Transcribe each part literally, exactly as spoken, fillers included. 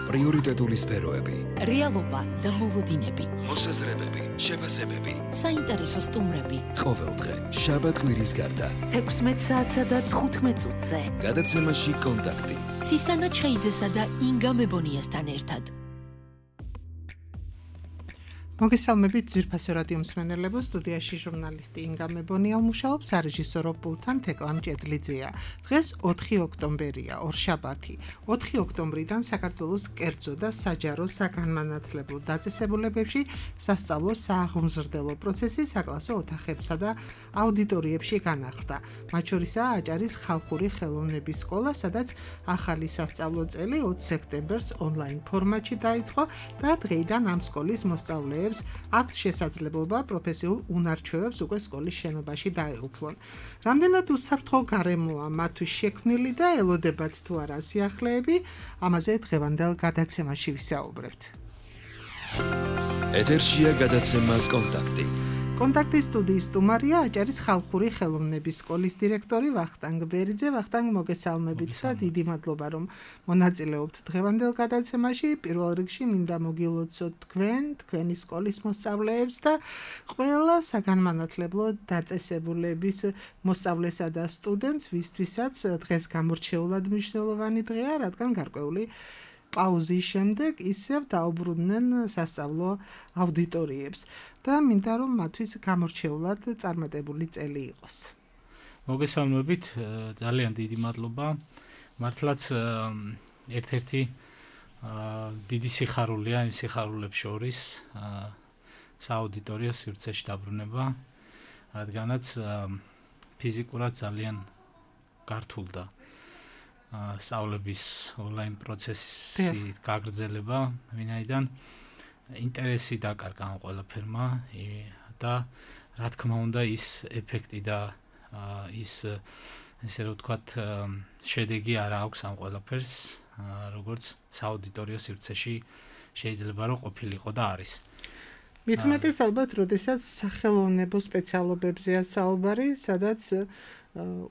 პრიორიტეტული სფეროები, რეალობა და მოლოდინები, მოსაზრებები, შეფასებები, საინტერესო სტუმრები. ყოველდღე შაბათ კვირის გარდა თექვსმეტ საათსა და თხუთმეტ წუთზე გადაცემაში კონტაქტი ცისანა ჩხეიძესა და ინგა მებონიასთან ერთად. მოგესალმებით ძვირფასო რადიო მსმენელებო, სტუდიაში ჟურნალისტი ინგა მებონია მუშაობს, სარეჟისორო პულტთან თეკლამ ჭედლიძეა. დღეს ოთხი ოქტომბერია, ორშაბათი. ოთხი ოქტომბრიდან საქართველოს კერძო და საჯარო საგანმანათლებლო დაწესებულებებში სასწავლო სააღმზრდელო პროცესი საკლასო ოთახებსა და აუდიტორიებში განახლდა. მათ შორისაა აჭარის ხალხური ხელოვნების სკოლა, სადაც ახალი სასწავლო წელი ოცი სექტემბერს ონლაინ ფორმატში დაიწყო და დღეიდან ამ სკოლის მოსწავლეებს აქვს შესაძლებლობა პროფესიულ უნარჩვევებს უკვე სკოლის შენობაში დაეუფლონ. რამდენად უსაფრთხო გარემოა მათთვის შექმნილი და ელოდებათ თუ არა სიახლეები, ამაზე დღევანდელ გადაცემაში ვისაუბრებთ. ეთერშია გადაცემა კონტაქტი. კონტაქტის სტუდიის სტუმარია აჭარის ხალხური ხელოვნების სკოლის დირექტორი ვახტანგ ბერიძე. ვახტანგ, მოგესალმებით და დიდი მადლობა რომ მონაწილეობთ დღევანდელ გადაცემაში. პირველ რიგში მინდა მოგილოცოთ თქვენ, თქვენი სკოლის მოსწავლეებს და ყველა საგანმანათლებლო დაწესებულების მოსწავლესა და სტუდენტს, ვისთვისაც დღეს გამორჩეულად მნიშვნელოვანი დღეა, რადგან გარკვეული პაუზის შემდეგ ისევ დაუბრუნდნენ სასწავლო აუდიტორიებს და მინდა რომ მათთვის გამორჩეულად წარმატებული წელი იყოს. მოგესალმებით, ძალიან დიდი მადლობა. მართლაც ერთ-ერთი დიდი სიხარულია იმ სიხარულებს შორის სააუდიტორიო სივრცეში დაბრუნება, რადგანაც ფიზიკურად ძალიან გართულდა სწავლების ონლაინ პროცესის გაგრძელება, ვინაიდან ინტერესი დაკარგა ამ ყველაფერმა და რა თქმა უნდა ის ეფექტი და ის ესე რომ ვთქვათ შედეგი არ აქვს ამ ყველაფერს, როგორც სააუდიტორიო სივრცეში შეიძლება რომ ყოფილიყო და არის. მით უმეტეს ალბათ, როდესაც სახელოვნებო სპეციალობებზეა საუბარი, სადაც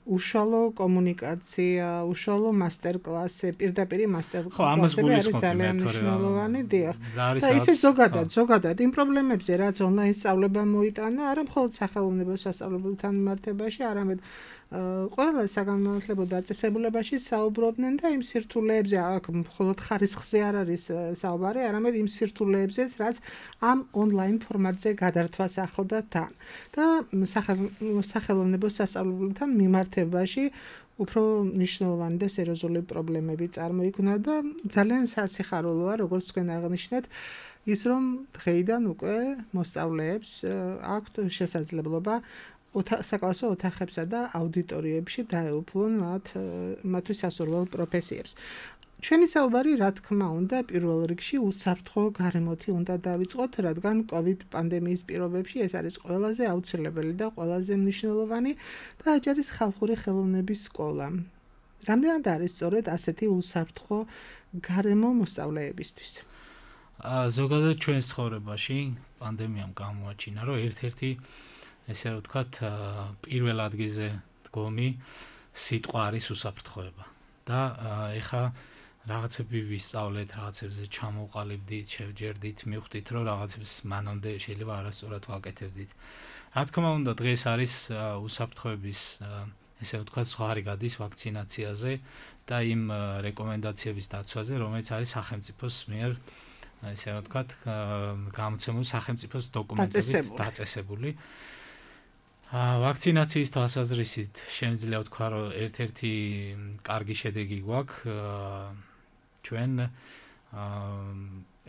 უშუალო კომუნიკაცია, უშუალო მასტერკლასი, პირდაპირი მასტერკლასები არის ძალიან მნიშვნელოვანი, დიახ. და ისე ზოგადად, ზოგადად იმ პრობლემებზე, რაც ონლაინ სწავლება მოიტანა, არა მხოლოდ სახელოვნებო სასწავლებელთან მიმართებაში, არამედ ყველა საგანმანათლებლო დაწესებულებაში საუბრობდნენ და იმ სირთულეებზე, აქ მხოლოდ ხარისხზე არ არის საუბარი, არამედ იმ სირთულეებზეც, რაც ამ ონლაინ ფორმატზე გადართვას ახლდა თან. და სახელოვნებო სასწავლებელთან მიმართებაში უფრო მნიშვნელოვანი და სერიოზული პრობლემები წარმოიქმნა და ძალიან სასიხარულოა, როგორც თქვენ აღნიშნეთ, ის რომ დღეიდან უკვე მოსწავლეებს აქვთ შესაძლებლობა საკლასო ოთახებსა და აუდიტორიებში დაეუფლონ მათ მათთვის სასურველ პროფესიებს. ჩვენი საუბარი, რა თქმა უნდა, პირველ რიგში უსაფრთხო გარემოთი უნდა დავიწყოთ, რადგან კოვიდ პანდემიის პირობებში ეს არის ყველაზე აუცილებელი და ყველაზე მნიშვნელოვანი და აჭარის ხალხური ხელოვნების სკოლა. რამდენად არის სწორედ ასეთი უსაფრთხო გარემო მოსწავლეებისთვის? ზოგადად ჩვენს ცხოვრებაში პანდემიამ გამოაჩინა, რომ ერთ-ერთი ესე რომ ვთქვათ, პირველ ადგილზე დგომი სიტყვა არის უსაფრთხოება. და ეხა რაღაცები ვისწავლეთ, რაღაცებზე ჩამოვყალიბდით, შევჯერდით, მივხვდით, რომ რაღაცებს მანამდე შეიძლება არასწორად ვაკეთებდით. რა თქმა უნდა, დღეს არის უსაფრთხოების ესე ვთქვათ, ზღვარი გადის ვაქცინაციაზე და იმ რეკომენდაციების დაცვაზე, რომელიც არის სახელმწიფოს მიერ ესე ვთქვათ, გამოცემული სახელმწიფოს დოკუმენტებით დაწესებული. ვაქცინაციის თვალსაზრისით შემიძლია ვთქვა, რომ ერთ-ერთი კარგი შედეგი გვაქვს. ჩვენ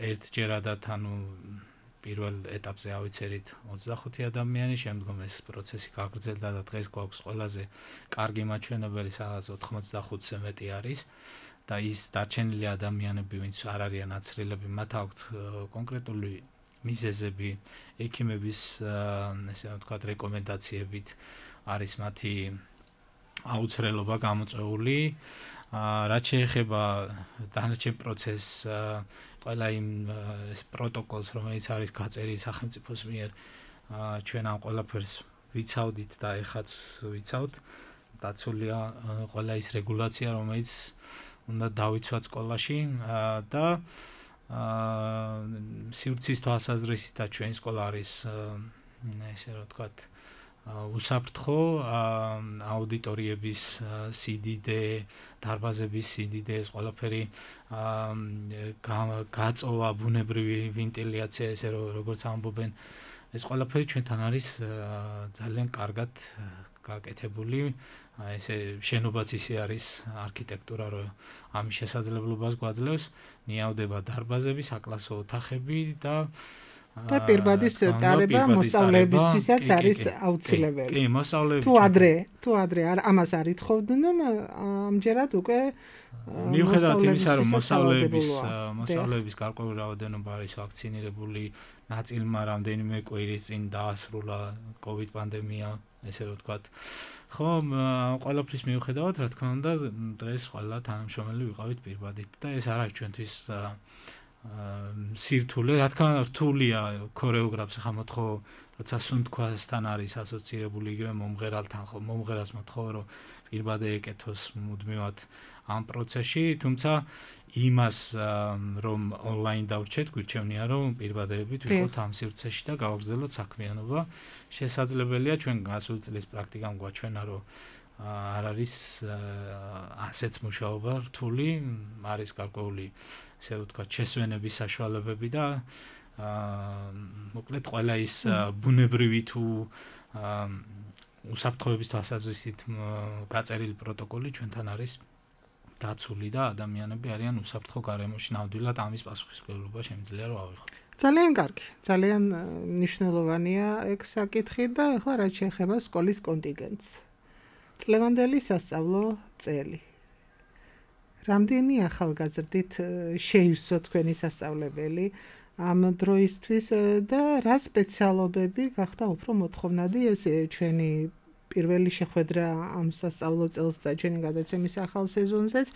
ერთჯერადად ანუ პირველ ეტაპზე ავიცერით ოცდახუთი ადამიანი, შემდგომ ეს პროცესი გაგრძელდა და დღეს გვაქვს ყველაზე კარგი მაჩვენებელი, სადაც ოთხმოცდახუთზე მეტი არის და ის დარჩენილი ადამიანები, ვინც არ არიან აცრილები, მათ აქვთ კონკრეტული მიზეზები, ექიმების ესე ვთქვათ რეკომენდაციებით არის მათი აუცილებლობა გამოწვეული. რაც შეეხება დანარჩენ პროცესს, ყველა იმ პროტოკოლს, რომელიც არის გაწერილი სახელმწიფოს მიერ, ჩვენ ამ ყველაფერს ვიცავდით და ეხაც ვიცავთ. დაცულია ყველა ის რეგულაცია, რომელიც უნდა დავიცვათ სკოლაში და სივრცის თვალსაზრისითაც ჩვენი სკოლა არის ესე რომ ვთქვათ უსაფრთხო აუდიტორიების სიდიდე, დარბაზების სიდიდე, ეს ყველაფერი გაწოვა, ბუნებრივი ვენტილაცია, ესე როგორც ამბობენ, ეს ყველაფერი ჩვენთან არის ძალიან კარგად გაკეთებული. ესე შენობაც ისე არის არქიტექტურა, რომ ამის შესაძლებლობას გვაძლევს, ნიავდება დარბაზები, საკლასო ოთახები და და პირბადის ტარება მოსწავლეებისთვისაც არის აუცილებელი. კი, მოსწავლეები. თუ ადრე, თუ ადრე ამას არ ითხოვდნენ, ამჯერად უკვე მიუხედავად იმისა, რომ მოსწავლეების მოსწავლეების გარკვეული რაოდენობა არის ვაქცინირებული, ნაწილმა რამდენიმე კვირის წინ დაასრულა COVID პანდემია, ესე რომ ვთქვათ. ხო, ყველაფრის მიუხედავად, რა თქმა უნდა, დღეს ყველა თანამშრომელი ვიყავით პირბადით და ეს არ არის ჩვენთვის სირთულე, რა თქმა უნდა, რთულია ქორეოგრაფს ახლა მოთხოვ, როცა სუნთქვასთან არის ასოცირებული იგივე მომღერალთან, ხო, მომღერალს მოთხოვ, რომ პირბადე ეკეთოს მუდმივად ამ პროცესში, თუმცა იმას რომ ონლაინ დავრჩეთ, გვირჩევნია რომ პირბადეებით ვიყოთ ამ სივრცეში და გავაგრძელოთ საქმიანობა. შესაძლებელია ჩვენ გასული წლის პრაქტიკამ გვაჩვენა, რომ არ არის ასეც მუშაობა რთული, არის გარკვეული ესე ვთქვათ შესვენების საშუალებები და მოკლედ ყველა ის ბუნებრივი თუ უსაფრთხოების თვალსაზრისით გაწერილი პროტოკოლი ჩვენთან არის დაცული და ადამიანები არიან უსაფრთხო გარემოში ნამდვილად ამის პასუხისმგებლობა შემიძლია რომ ავიღოთ. ძალიან კარგი, ძალიან მნიშვნელოვანია ეგ საკითხი და ახლა რაც შეეხება სკოლის კონტინგენტს. წლევანდელი სასწავლო წელი. რამდენი ახალგაზრდით შეივსო თქვენი სასწავლებელი ამ დროისთვის და რა სპეციალობები გახდა უფრო მოთხოვნადი ეს ჩვენი პირველი შეხვედრა ამ სასწავლო წელს და ჩვენი გადაცემის ახალ სეზონზეც.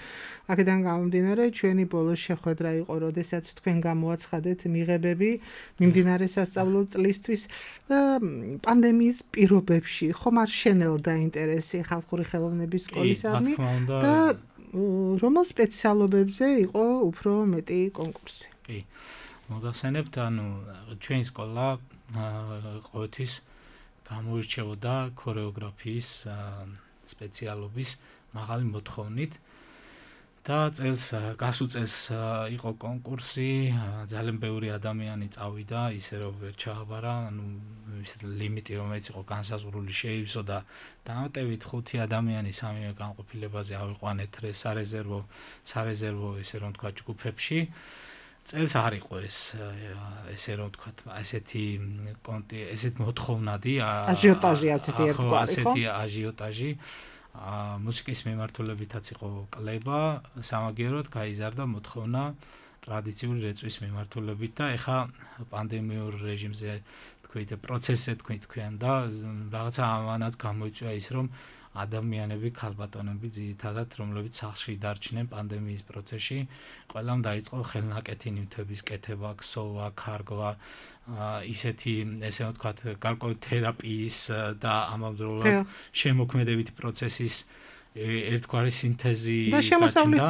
აქედან გამომდინარე, ჩვენი ბოლოს შეხვედრა იყო, როდესაც თქვენ გამოაცხადეთ მიღებები მიმდინარე სასწავლო წლისთვის და პანდემიის პირობებში ხომ არ შენელდა ინტერესი ხალხური ხელოვნების სკოლისადმი და რომელ სპეციალობებზე იყო უფრო მეტი კონკურსი? კი. მოგახსენებთ, ანუ ჩვენი სკოლა ყოველთვის გამოირჩეოდა ქორეოგრაფიის სპეციალობის მაღალი მოთხოვნით და წელს გასულ წელს იყო კონკურსი, ძალიან ბევრი ადამიანი წავიდა, ისე რომ ვერ ჩააბარა, ანუ ის ლიმიტი რომელიც იყო განსაზღვრული შეივსო და დამატებით ხუთი ადამიანი სამივე განყოფილებაზე ავიყვანეთ სარეზერვო სარეზერვო ესე რომ თქვა ჯგუფებში. წელს არ იყო ეს ესე რომ ვთქვათ, ესეთი კონტი, ესეთ მოთხოვნადი აჟიოტაჟი ასეთი ერთგვარი, ხო? ასეთი აჟიოტაჟი. მუსიკის მიმართულებითაც იყო კლება, სამაგიეროდ გაიზარდა მოთხოვნა ტრადიციული რეწვის მიმართულებით და ეხა პანდემიურ რეჟიმზე თქვით, პროცესზე თქვით თქვენ და რაღაცა ამანაც გამოიწვია ის, რომ ადამიანები, ქალბატონები ძირითადად, რომლებიც სახლში დარჩნენ პანდემიის პროცესში, ყველამ დაიწყო ხელნაკეთი ნივთების კეთება, ქსოვა, ქარგვა, ისეთი, ესე ვთქვათ, გარკვეული თერაპიის და ამავდროულად შემოქმედებითი პროცესის ერთგვარი სინთეზი და შემოსავლის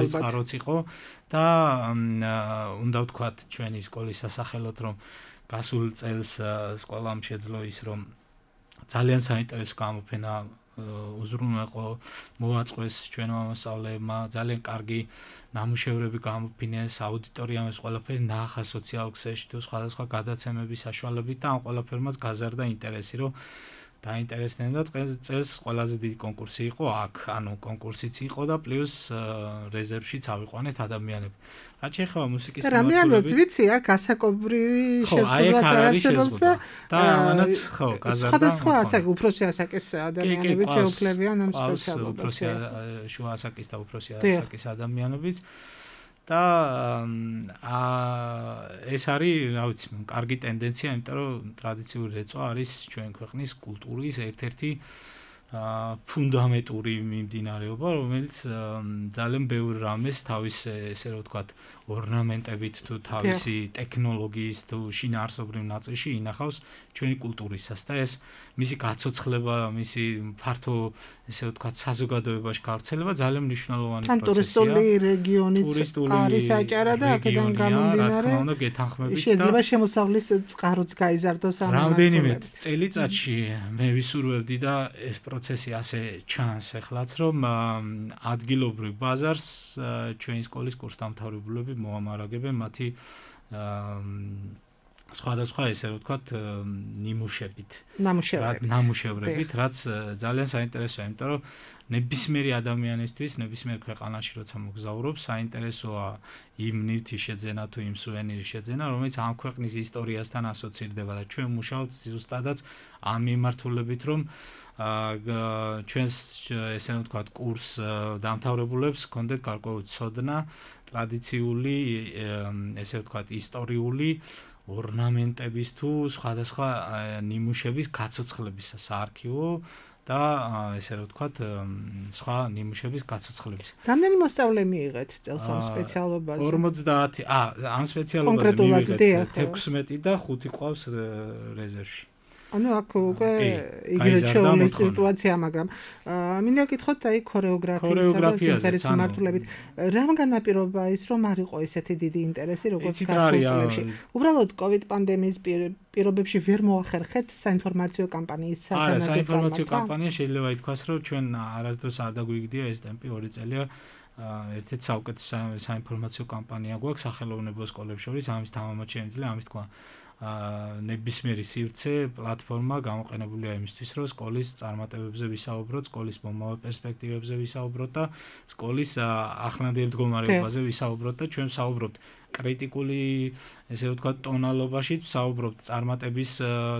წყაროც იყო და უნდა ვთქვათ ჩვენი სკოლის სასახელოდ, რომ გასულ წელს სკოლამ შეძლო ის, რომ ძალიან საინტერესო გამოფენა უზრუნველყო მოაწყვეს ჩვენმა მოსწავლეებმა, ძალიან კარგი ნამუშევრები გამოფინეს, აუდიტორიამ ეს ყველაფერი ნახა სოციალურ ქსელში თუ სხვადასხვა გადაცემების საშუალებით და ამ ყველაფერმაც გაზარდა ინტერესი, რომ დაინტერესდნენ და წელს ყველაზე დიდი კონკურსი იყო აქ, ანუ კონკურსიც იყო და პლუს რეზერვშიც ავიყვანეთ ადამიანები. რაც შეეხება მუსიკის მიმართულებით. რამდენადაც ვიცი, აქ ასაკობრივი შეზღუდვაც არ არსებობს და და ამანაც ხო, გაზარდა. სხვადასხვა ასაკი, უფროსი ასაკის ადამიანებიც ეუფლებიან ამ სპეციალობას. შუა ასაკის და უფროსი ასაკის ადამიანებიც. და ეს არის, რა ვიცი, კარგი ტენდენცია, იმიტომ რომ ტრადიციული რეწვა არის ჩვენ ქვეყნის კულტურის ერთ-ერთი ფუნდამენტური მიმდინარეობა, რომელიც ძალიან ბევრ რამეს თავის ესე რომ ვთქვათ, ორნამენტებით თუ თავისი ტექნოლოგიის თუ შინაარსობრივ ნაწილში ინახავს ჩვენი კულტურისას და ეს მისი გაცოცხლება, მისი ფართო ესე ვთქვათ, საზოგადოებაში გავრცელება ძალიან მნიშვნელოვანი პროცესია. ტურისტული რეგიონიც არის აჭარა და აქედან გამომდინარე შეიძლება შემოსავლის წყაროც გაიზარდოს ამ რამდენიმე წელიწადში მე ვისურვებდი და ეს პროცესი ასე ჩანს ეხლაც რომ ადგილობრივ ბაზარს ჩვენი სკოლის კურსდამთავრებულები მოამარაგებენ მათი სხვადასხვა ესე ვთქვათ ნიმუშებით ნამუშევრებით რაც ძალიან საინტერესოა იმიტომ რომ ნებისმიერი ადამიანისთვის ნებისმიერ ქვეყანაში როცა მოგზაურობს საინტერესოა იმ ნივთის შეძენა თუ იმ სუვენირის შეძენა რომელიც ამ ქვეყნის ისტორიასთან ასოცირდება და ჩვენ მუშაობთ ზუსტადაც ამ მიმართულებით რომ ჩვენს ესე ვთქვათ კურს დამთავრებულებს ჰქონდეთ გარკვეული ცოდნა ტრადიციული ესე ვთქვათ ისტორიული ორნამენტების თუ სხვადასხვა ნიმუშების გაცოცხლებისა საარქივო და ესე რომ ვთქვათ სხვა ნიმუშების გაცოცხლების. რამდენი მოსწავლე მიიღეთ წელს ამ სპეციალობაზე? ორმოცდაათი. ა ამ სპეციალობაზე მიიღეთ თექვსმეტი და ხუთი ყავს რეზერვში. ანუ აქ უკვე იგივე შეუძლია სიტუაცია, მაგრამ მინდა გითხოთ აი ქორეოგრაფიისა და სიმღერის მიმართულებით, რამ განაპირობა ის რომ არ იყო ესეთი დიდი ინტერესი როგორც გასულ წლებში? უბრალოდ COVID პანდემიის პირობებში ვერ მოახერხეთ საინფორმაციო კამპანიის საგანაკეთო. არა, საინფორმაციო კამპანია შეიძლება ითქვას, რომ ჩვენ არასდროს არ დაგვიგდია ეს ტემპი ორი წელია. ერთ-ერთი საუკეთესო საინფორმაციო კამპანია გვაქვს სახელოვნებო სკოლებს შორის, ამის თამამად შეიძლება ამის თქვა ნებისმიერი სივრცე პლატფორმა გამოყენებულია იმისთვის, რომ სკოლის წარმატებებზე ვისაუბროთ, სკოლის მომავალ პერსპექტივებზე ვისაუბროთ და სკოლის ახლანდელ მდგომარეობაზე ვისაუბროთ და ჩვენ ვსაუბრობთ კრიტიკული, ესე ვთქვათ, ტონალობაში, ვსაუბრობთ წარმატების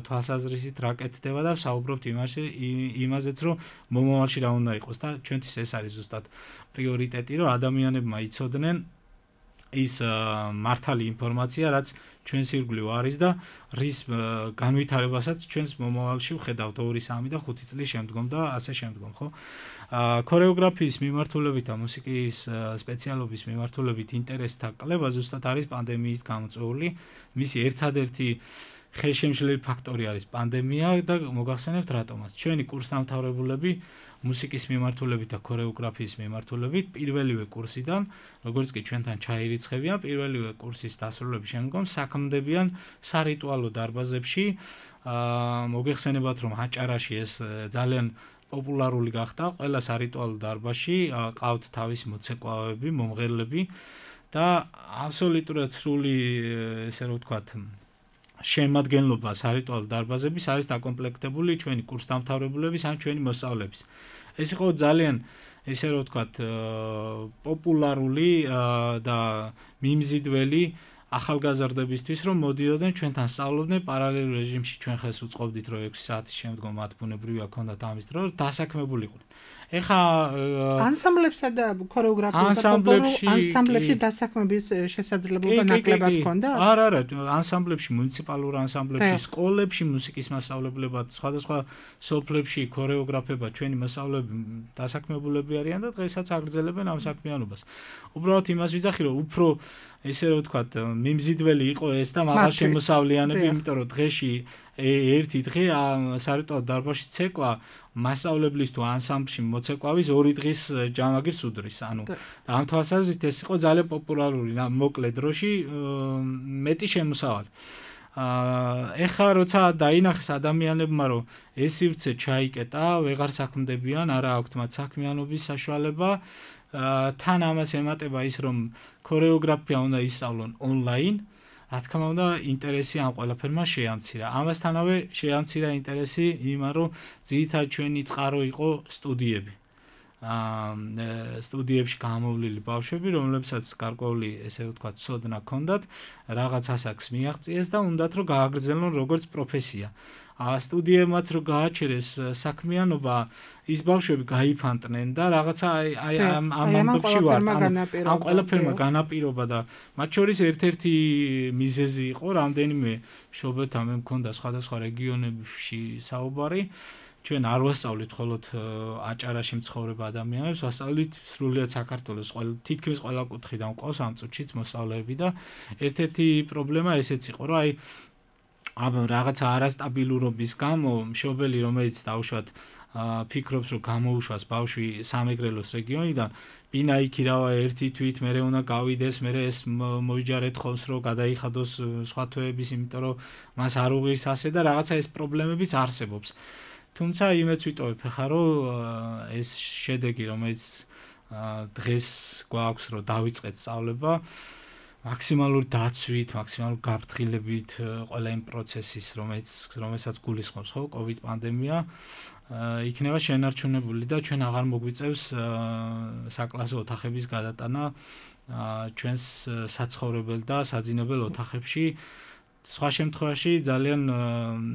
თვალსაზრისით რა კეთდება და ვსაუბრობთ იმაზეც, რომ მომავალში რა უნდა იყოს და ჩვენთვის ეს არის ზუსტად პრიორიტეტი, რომ ადამიანებმა იცოდნენ ის მართალი ინფორმაცია, რაც ჩვენს ირგვლივ არის და რის განვითარებასაც ჩვენს მომავალში ვხედავთ ორი, სამი და ხუთი წლის შემდგომ და ასე შემდგომ, ხო? ქორეოგრაფიის მიმართულებით და მუსიკის სპეციალობის მიმართულებით ინტერესთა კლება ზუსტად არის პანდემიით გამოწვეული. მისი ერთადერთი ხელშემშლელი ფაქტორი არის პანდემია და მოგახსენებთ რატომაც. ჩვენი კურსდამთავრებულები მუსიკის მიმართულებით და ქორეოგრაფიის მიმართულებით პირველივე კურსიდან, როგორც კი ჩვენთან ჩაირიცხებიან, პირველივე კურსის დასრულების შემდგომ საქმდებიან სარიტუალო დარბაზებში. მოგეხსენებათ, რომ აჭარაში ეს ძალიან პოპულარული გახდა, ყველა სარიტუალო დარბაზში ყავთ თავისი მოცეკვავები, მომღერლები და აბსოლუტურად სრული ესე რომ ვთქვათ შემადგენლობა სარიტუალო დარბაზების არის დაკომპლექტებული ჩვენი კურსდამთავრებულების ან ჩვენი მოსწავლეების. ეს იყო ძალიან ესე რომ ვთქვათ პოპულარული და მიმზიდველი ახალგაზრდებისთვის, რომ მოდიოდნენ ჩვენთან სწავლობდნენ პარალელურ რეჟიმში, ჩვენ ხელს უწყობდით, რომ ექვსი საათის შემდგომ მათ ბუნებრივია ქონდათ ამის დრო, დასაქმებულიყვნენ. ეხა ანსამბლებსა და ქორეოგრაფიულ ანსამბლებში დასაქმების შესაძლებლობა ნაკლებად ქონდა? არა, არა, ანსამბლებში, მუნიციპალურ ანსამბლებში, სკოლებში მუსიკის მასწავლებლებად, სხვადასხვა სოფლებში ქორეოგრაფებად ჩვენი მოსწავლეები დასაქმებულები არიან და დღესაც აგრძელებენ ამ საქმიანობას. უბრალოდ იმას ვიძახი, რომ უფრო ესე რომ ვთქვათ, მიმზიდველი იყო ეს და მაღალ შემოსავლიანები, იმიტომ რომ დღეში ერთი დღე სარიტუალო დარბაზში ცეკვა მასწავლებლის თუ ანსამბლში მოცეკვავის ორი დღის ჯამაგირს უდრის. ანუ ამ თვალსაზრისით ეს იყო ძალიან პოპულარული მოკლე დროში მეტი შემოსავალი. ეხლა როცა დაინახეს ადამიანებმა, რომ ეს სივრცე ჩაიკეტა, ვეღარ საქმდებიან, არა აქვთ მათ საქმიანობის საშუალება, თან ამას ემატება ის, რომ ქორეოგრაფია უნდა ისწავლონ ონლაინ. რა თქმა უნდა, ინტერესი ამ ყველაფერმა შეამცირა. ამასთანავე შეამცირა ინტერესი იმან, რომ ძირითადად ჩვენი წყარო იყო სტუდიები. აა სტუდიებში გამოვლილი ბავშვები, რომლებსაც გარკვეული, ესე ვთქვათ, ცოდნა ჰქონდათ, რაღაც ასაკს მიაღწიეს და უნდათ რომ გააგრძელონ როგორც პროფესია. სტუდიებმაც რო გააჩერეს საქმიანობა, ის ბავშვები გაიფანტნენ და რაღაცა აი ამ ამბებში ვარ. ამ ყველაფერმა განაპირობა და მათ შორის ერთ-ერთი მიზეზი იყო, რამდენიმე მშობელთან მე მქონდა სხვადასხვა რეგიონებში საუბარი ჩვენ არ ვასწავლით მხოლოდ აჭარაში მცხოვრებ ადამიანებს, ვასწავლით სრულიად საქართველოს ყველა თითქმის ყველა კუთხიდან მყავს ამ წუთშიც მოსწავლეები და ერთ-ერთი პრობლემა ესეც იყო, რომ აი ამ რაღაცა არასტაბილურობის გამო მშობელი რომელიც დაუშვათ ფიქრობს რომ გამოუშვას ბავშვი სამეგრელოს რეგიონიდან ბინა იქირავა ერთი თვით მე უნდა გავიდეს მე ეს მოიჯარეთ ხოლმს რომ გადაიხადოს სხვა თვეების იმიტომ რომ მას არ უღირს ასე და რაღაცა ეს პრობლემებიც არსებობს თუმცა იმეც ვიტოვებ ხა რომ ეს შედეგი რომელიც დღეს გვაქვს რომ დავიწყეთ სწავლება მაქსიმალური დაცვით, მაქსიმალური გაფრთხილებით ყველა იმ პროცესის, რომელიც რომელსაც გულისხმობს ხო COVID პანდემია, იქნება შენარჩუნებული და ჩვენ აღარ მოგვიწევს საკლასო ოთახების გადატანა ჩვენს საცხოვრებელ და საძინებელ ოთახებში. სხვა შემთხვევაში ძალიან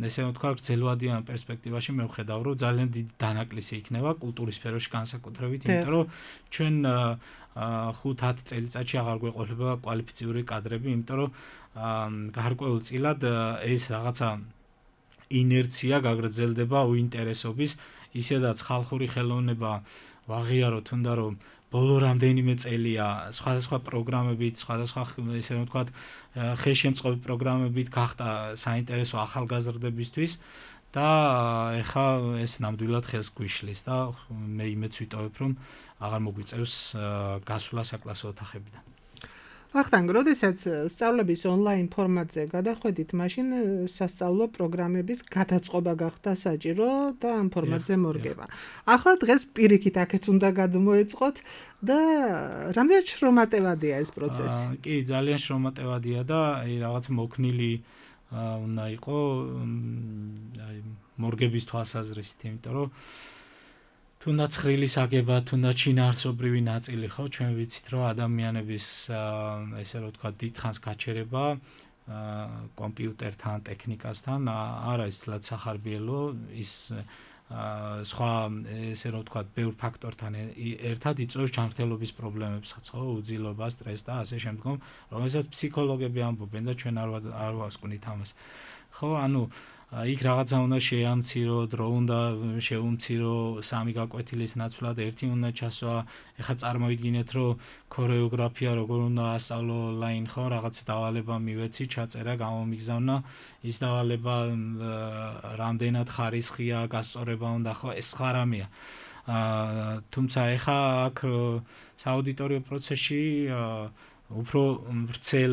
ესე ვთქვა გრძელვადიან პერსპექტივაში მე ვხედავ რომ ძალიან დიდი დანაკლისი იქნება კულტურის სფეროში განსაკუთრებით, იმიტომ რომ ჩვენ ხუთ-ათ წელიწადში აღარ გვეყოლება კვალიფიციური კადრები, იმიტომ რომ გარკვეულწილად ეს რაღაცა ინერცია გაგრძელდება უინტერესობის, ისედაც ხალხური ხელოვნება ვაღიაროთ, თუნდა რომ ბოლო რამდენიმე წელია სხვადასხვა პროგრამებით, სხვადასხვა ესე ვთქვათ, ხელშემწყობი პროგრამებით გახდა საინტერესო ახალგაზრდებისთვის და ეხა ეს ნამდვილად ხელს გვიშლის და მე იმეც ვიტოვებ, რომ აღარ მოგვიწევს გასვლა საკლასო ოთახებიდან. ვახტანგ, როდესაც სწავლების ონლაინ ფორმატზე გადახვედით, მაშინ სასწავლო პროგრამების გადაწყობა გახდა საჭირო და ამ ფორმატზე მორგება. ახლა დღეს პირიქით აქეთ უნდა გადმოეწყოთ და რამდენად შრომატევადია ეს პროცესი? კი, ძალიან შრომატევადია და აი რაღაც მოქნილი უნდა იყო აი მორგების თვალსაზრისით, იმიტომ რომ თუნდაც ხრილის აგება, თუნდაც შინაარსობრივი ნაწილი ხო, ჩვენ ვიცით რომ ადამიანების ესე რომ ვთქვა დიდხანს გაჩერება კომპიუტერთან, ტექნიკასთან არ არის თლად სახარბიელო ის სხვა ესე რომ ვთქვა ბევრ ფაქტორთან ერთად იწვევს ჯანმრთელობის პრობლემებსაც ხო, უძილობას, სტრესს და ასე შემდგომ, რომელსაც ფსიქოლოგები ამბობენ და ჩვენ არ არ ვასკვნით ამას. ხო, ანუ იქ რაღაცა უნდა შეამცირო, დრო უნდა შეუმცირო, სამი გაკვეთილის ნაცვლად ერთი უნდა ჩასვა. ეხლა წარმოიდგინეთ, რომ ქორეოგრაფია როგორ უნდა ასწავლო ონლაინ, ხო, რაღაც დავალება მივეცი, ჩაწერა, გამომიგზავნა, ის დავალება რამდენად ხარისხია, გასწორება უნდა, ხო, ეს სხვა რამეა. თუმცა ეხლა აქ სააუდიტორიო პროცესში უფრო ვრცელ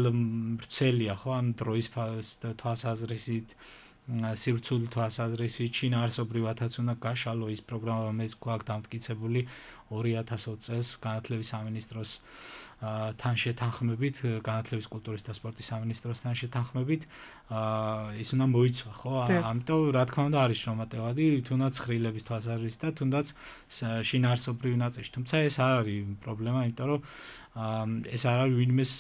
ვრცელია, ხო, ან დროის თვალსაზრისით სივრცული თვალსაზრისით შინაარსობრივადაც უნდა გაშალო ის პროგრამა, რომელიც გვაქვს დამტკიცებული ორი ათას ოცი წელს განათლების სამინისტროს თან შეთანხმებით, განათლების კულტურის და სპორტის სამინისტროსთან შეთანხმებით, ის უნდა მოიცვა, ხო? ამიტომ რა თქმა უნდა არის შრომატევადი, თუნდაც ხრილების თვალსაზრისით და თუნდაც შინაარსობრივი ნაწილში. თუმცა ეს არ არის პრობლემა, იმიტომ რომ ეს არ არის ვინმეს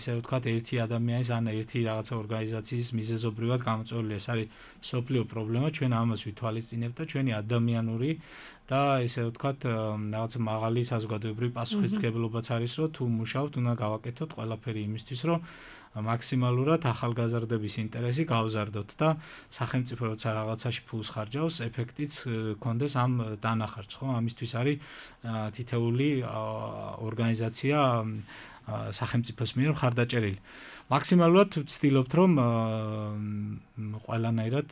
ესე ვთქვათ ერთი ადამიანის ან ერთი რაღაცა ორგანიზაციის მიზეზობრივად გამოწვეული, ეს არის სოფლიო პრობლემა, ჩვენ ამას ვითვალისწინებთ და ჩვენი ადამიანური და ესე ვთქვათ რაღაცა მაღალი საზოგადოებრივი პასუხისმგებლობაც არის, რომ თუ მუშაობთ, უნდა გავაკეთოთ ყველაფერი იმისთვის, რომ მაქსიმალურად ახალგაზრდების ინტერესი გავზარდოთ და სახელმწიფო როცა რაღაცაში ფულს ხარჯავს, ეფექტიც გქონდეს ამ დანახარჯს, ხო? ამისთვის არის თითეული ორგანიზაცია სახელმწიფოს მიერ მხარდაჭერილი. მაქსიმალურად ვცდილობთ, რომ ყველანაირად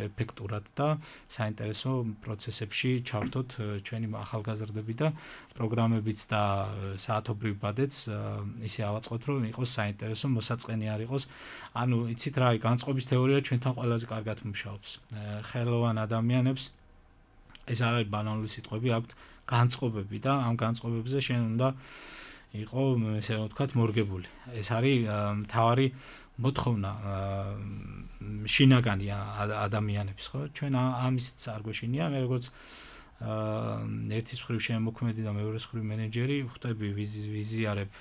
ეფექტურად და საინტერესო პროცესებში ჩავერთოთ ჩვენი ახალგაზრდები და პროგრამებიც და საათობრივ ბადეც ისე ავაწყოთ, რომ იყოს საინტერესო, მოსაწყენი არ იყოს. ანუ იცით რა, განწყობის თეორია ჩვენთან ყველაზე კარგად მუშაობს. ხელოვან ადამიანებს ეს არ არის ბანალური სიტყვები, აქვთ განწყობები და ამ განწყობებზე შენ უნდა იყო ესე რომ ვთქვათ მორგებული. ეს არის მთავარი მოთხოვნა შინაგანი ადამიანების, ხო? ჩვენ ამისც არ გვეშინია, მე როგორც ერთის მხრივ შემოქმედი და მეორეს მხრივ მენეჯერი ვხვდები ვიზიარებ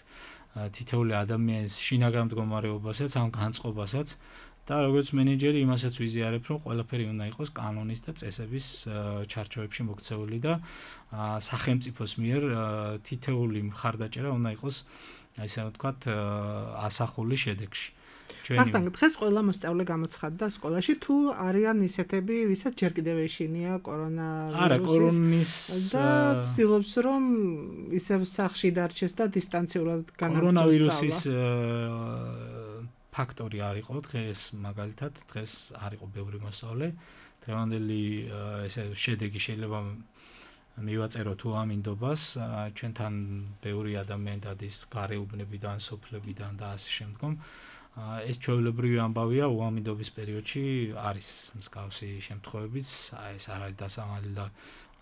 თითოეული ადამიანის შინაგან მდგომარეობასაც, ამ განწყობასაც და როგორც მენეჯერი იმასაც ვიზიარებ, რომ ყველაფერი უნდა იყოს კანონის და წესების ჩარჩოებში მოქცეული და სახელმწიფოს მიერ თითოეული მხარდაჭერა უნდა იყოს, ასე ვთქვათ, ასახული შედეგში. ბახტანგ, დღეს ყველა მოსწავლე გამოცხადდა სკოლაში, თუ არიან ისეთები, ვისაც ჯერ კიდევ ეშინია კორონავირუსის. არა, კორონის და ცდილობს, რომ ისევ სახლში დარჩეს და დისტანციურად განაგრძოს. კორონავირუსის ფაქტორი არ იყო დღეს, მაგალითად, დღეს არ იყო ბევრი მოსწავლე. დღევანდელი ესე შედეგი შეიძლება მივაწერო თუ ამინდობას, ჩვენთან ბევრი ადამიანი დადის გარეუბნებიდან, სოფლებიდან და ასე შემდგომ. ეს ჩვეულებრივი ამბავია უამინდობის პერიოდში არის მსგავსი შემთხვევებიც, ეს არ არის დასამალი და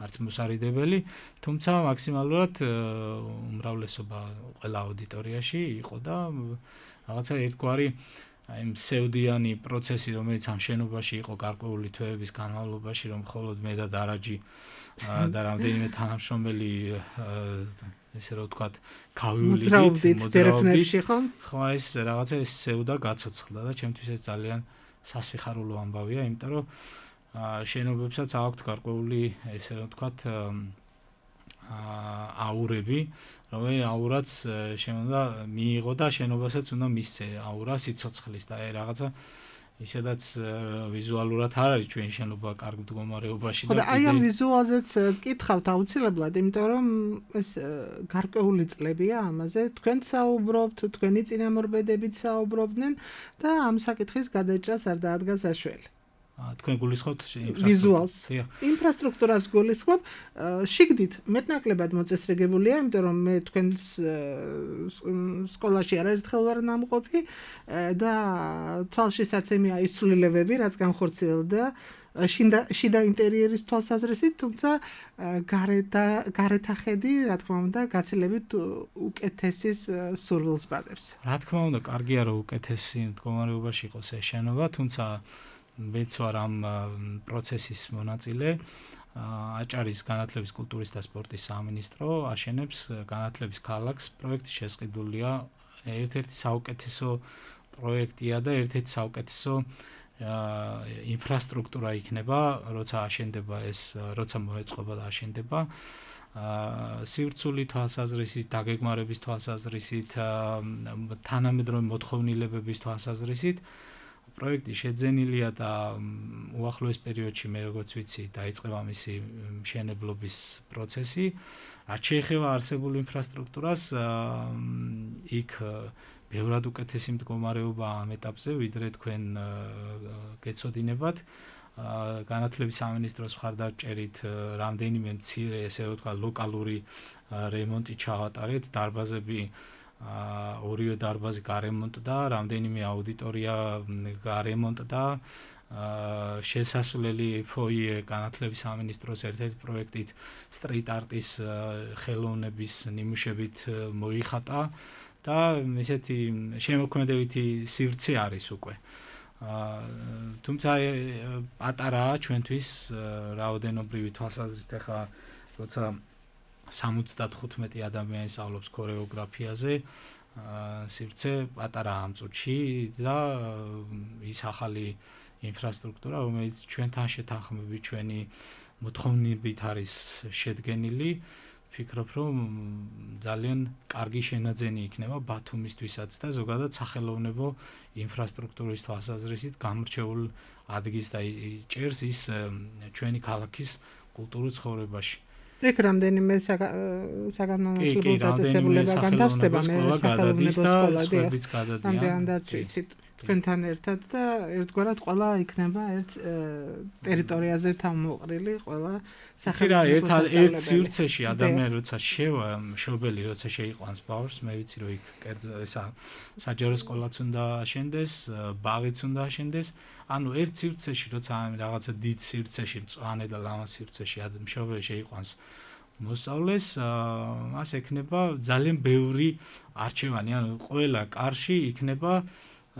არც მოსარიდებელი, თუმცა მაქსიმალურად უმრავლესობა ყველა აუდიტორიაში იყო და რაღაცა ერთგვარი აი მსევდიანი პროცესი, რომელიც ამ შენობაში იყო გარკვეული თვეების განმავლობაში, რომ მხოლოდ მე და დარაჯი და რამდენიმე თანამშრომელი ესე რომ ვთქვათ, გავივლიდით მოძრაობდით, ხო, ეს რაღაცა ეს სევდა გაცოცხლდა და ჩემთვის ეს ძალიან სასიხარულო ამბავია, იმიტომ რომ შენობებსაც აქვთ გარკვეული ესე რომ ვთქვათ აურები, რომელიც აურაც შემოდა მიიღო და შენობასაც უნდა მისცე აურა სიცოცხლის და აი რაღაცა ისედაც ვიზუალურად არ არის ჩვენ შენობა კარგ მდგომარეობაში და აი ამ ვიზუალზეც კითხავთ აუცილებლად, იმიტომ რომ ეს გარკვეული წლებია ამაზე, თქვენ საუბრობთ, თქვენი წინამორბედებით საუბრობდნენ და ამ საკითხის გადაჭრას არ დაადგა საშველი. თქვენ გულისხმობთ ვიზუალს. ინფრასტრუქტურას გულისხმობ, შიგდით მეტნაკლებად მოწესრიგებულია, იმიტომ რომ მე თქვენ სკოლაში არაერთხელ ვარ ნამყოფი და თვალშისაცემია ის ცვლილებები, რაც განხორციელდა შიდა ინტერიერის თვალსაზრისით, თუმცა გარეთახედი, რა თქმა უნდა, გაცილებით უკეთესის სურვილს ბადებს. რა თქმა უნდა, კარგია რომ უკეთესი მდგომარეობაში იყოს ეს შენობა, თუმცა მეც ვარ ამ პროცესის მონაწილე. აჭარის განათლების, კულტურის და სპორტის სამინისტრო აშენებს განათლების ქალაქს. პროექტი შესყიდულია, ერთ-ერთი საუკეთესო პროექტია და ერთ-ერთი საუკეთესო ინფრასტრუქტურა იქნება, როცა აშენდება ეს, როცა მოეწყობა და აშენდება. სივრცული თვალსაზრისით, დაგეგმარების თვალსაზრისით, თანამედროვე მოთხოვნილებების თვალსაზრისით პროექტი შეძენილია და უახლოეს პერიოდში მე როგორც ვიცი დაიწყება მისი მშენებლობის პროცესი. რაც შეეხება არსებულ ინფრასტრუქტურას, იქ ბევრად უკეთესი მდგომარეობა ამ ეტაპზე, ვიდრე თქვენ გეცოდინებათ. განათლების სამინისტროს მხარდაჭერით რამდენიმე მცირე, ესე ვთქვა, ლოკალური რემონტი ჩავატარეთ, დარბაზები ორივე დარბაზი გარემონტდა, რამდენიმე აუდიტორია გარემონტდა, შესასვლელი ფოიე განათლების სამინისტროს ერთ-ერთი პროექტით სტრიტ არტის ხელოვნების ნიმუშებით მოიხატა და ესეთი შემოქმედებითი სივრცე არის უკვე. თუმცა პატარაა ჩვენთვის რაოდენობრივი თვალსაზრისით, ახლა როცა სამოცდათხუთმეტი ადამიანი სწავლობს ქორეოგრაფიაზე, სივრცე პატარაა ამ წუთში და ის ახალი ინფრასტრუქტურა, რომელიც ჩვენთან შეთანხმებით, ჩვენი მოთხოვნებით არის შედგენილი, ვფიქრობ, რომ ძალიან კარგი შენაძენი იქნება ბათუმისთვისაც და ზოგადად სახელოვნებო ინფრასტრუქტურის თვალსაზრისით გამორჩეულ ადგილს და ჭერს ის ჩვენი ქალაქის კულტურულ ცხოვრებაში. ეგ რამდენიმე საგანმანათლებლო დაწესებულება განთავსდება, მე სახელოვნებო სკოლა ამდენადაც ვიცით თქვენთან ერთად და ერთგვარად ყველა იქნება ერთ ტერიტორიაზე თავმოყრილი, ყველა სახელოვნებო სასწავლებელი. ერთ სივრცეში ადამიანი როცა შევა, მშობელი როცა შეიყვანს ბავშვს, მე ვიცი რომ იქ კერძო ესა საჯარო სკოლაც უნდა აშენდეს, ბაღიც უნდა აშენდეს. ანუ ერთ სივრცეში როცა რაღაცა დიდ სივრცეში, მწვანე და ლამაზ სივრცეში მშობელი შეიყვანს მოსწავლეს, მას ექნება ძალიან ბევრი არჩევანი, ანუ ყველა კარში იქნება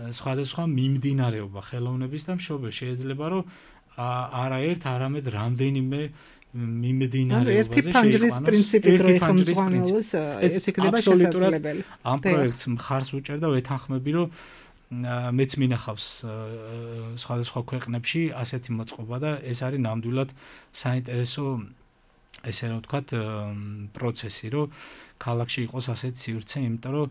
სხვადასხვა მიმდინარეობა ხელოვნების და მშობელი შეიძლება რომ არაერთ, არამედ რამდენიმე მიმდინარეობაზე ერთი ფანჯრის პრინციპით რო იხმძღვანელოს, ეს იქნება შესაძლებელი. ამ პროექტს მხარს უჭერ და ვეთანხმები რომ მეც მინახავს სხვადასხვა ქვეყნებში ასეთი მოწყობა და ეს არის ნამდვილად საინტერესო ესე რომ ვთქვათ პროცესი, რომ ქალაქში იყოს ასეთი სივრცე, იმიტომ რომ